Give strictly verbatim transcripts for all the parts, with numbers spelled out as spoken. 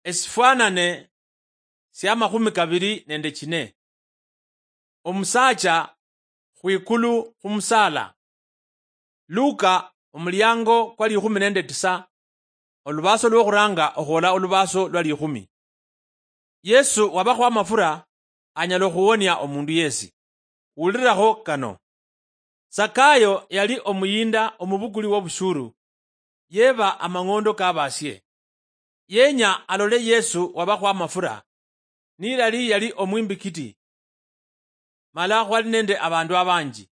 Esifwanane sia makhumi kabiri nende chine. Omusaacha khwikulu khumusaala. Luka, omuliango kwa likhumi nende tisa, olubaaso lwokhuranga okhwola olubaaso lwa likhumi. Yesu wabakho amafura anyala okhuwonia omundu yesi. Wulirakho kano. Sakayo yali omuyinda omubukuli wobushuru, yeba amang'ondo kabasie. Yenya alole Yesu wabakho amafura, nilali yali omwimbikiti, mala khwali nende abandu abanji.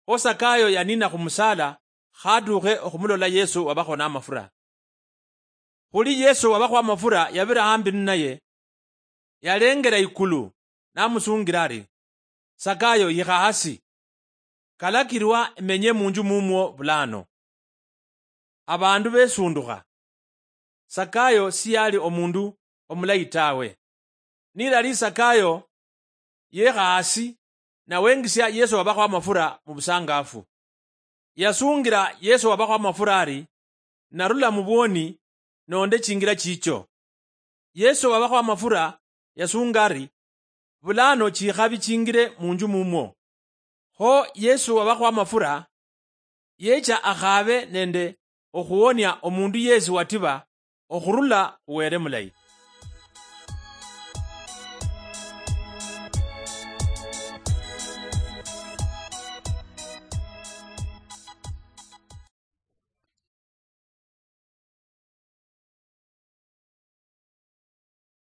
Kho Sakayo yanina khumusaala, khatukhe okhumulola Yesu wabakho namafura. Khuli Yesu wabakho amafura yabira hambi ninaye, yalengera ikulu, namusungira ari, "Sakayo, yikha hasi. Kalakirwa emenye munju mumwo bulano." Abandu besundukha. Sakayo siyali omundu omulayi tawe. Nilali Sakayo yekha hasi, nawengisia Yesu wabakho amafura mubusangafu. Yasungira Yesu wabakho amafura ari, "Narula mubwoni, nonde chingira chicho." Yesu wabakho amafura yasunga ari, "Bulano chikhabi chingire munju mumwo." Kho Yesu wabakho amafura yecha akhabe nende okhuwonia omundu yesi watiba okhurula khuwere mulayi.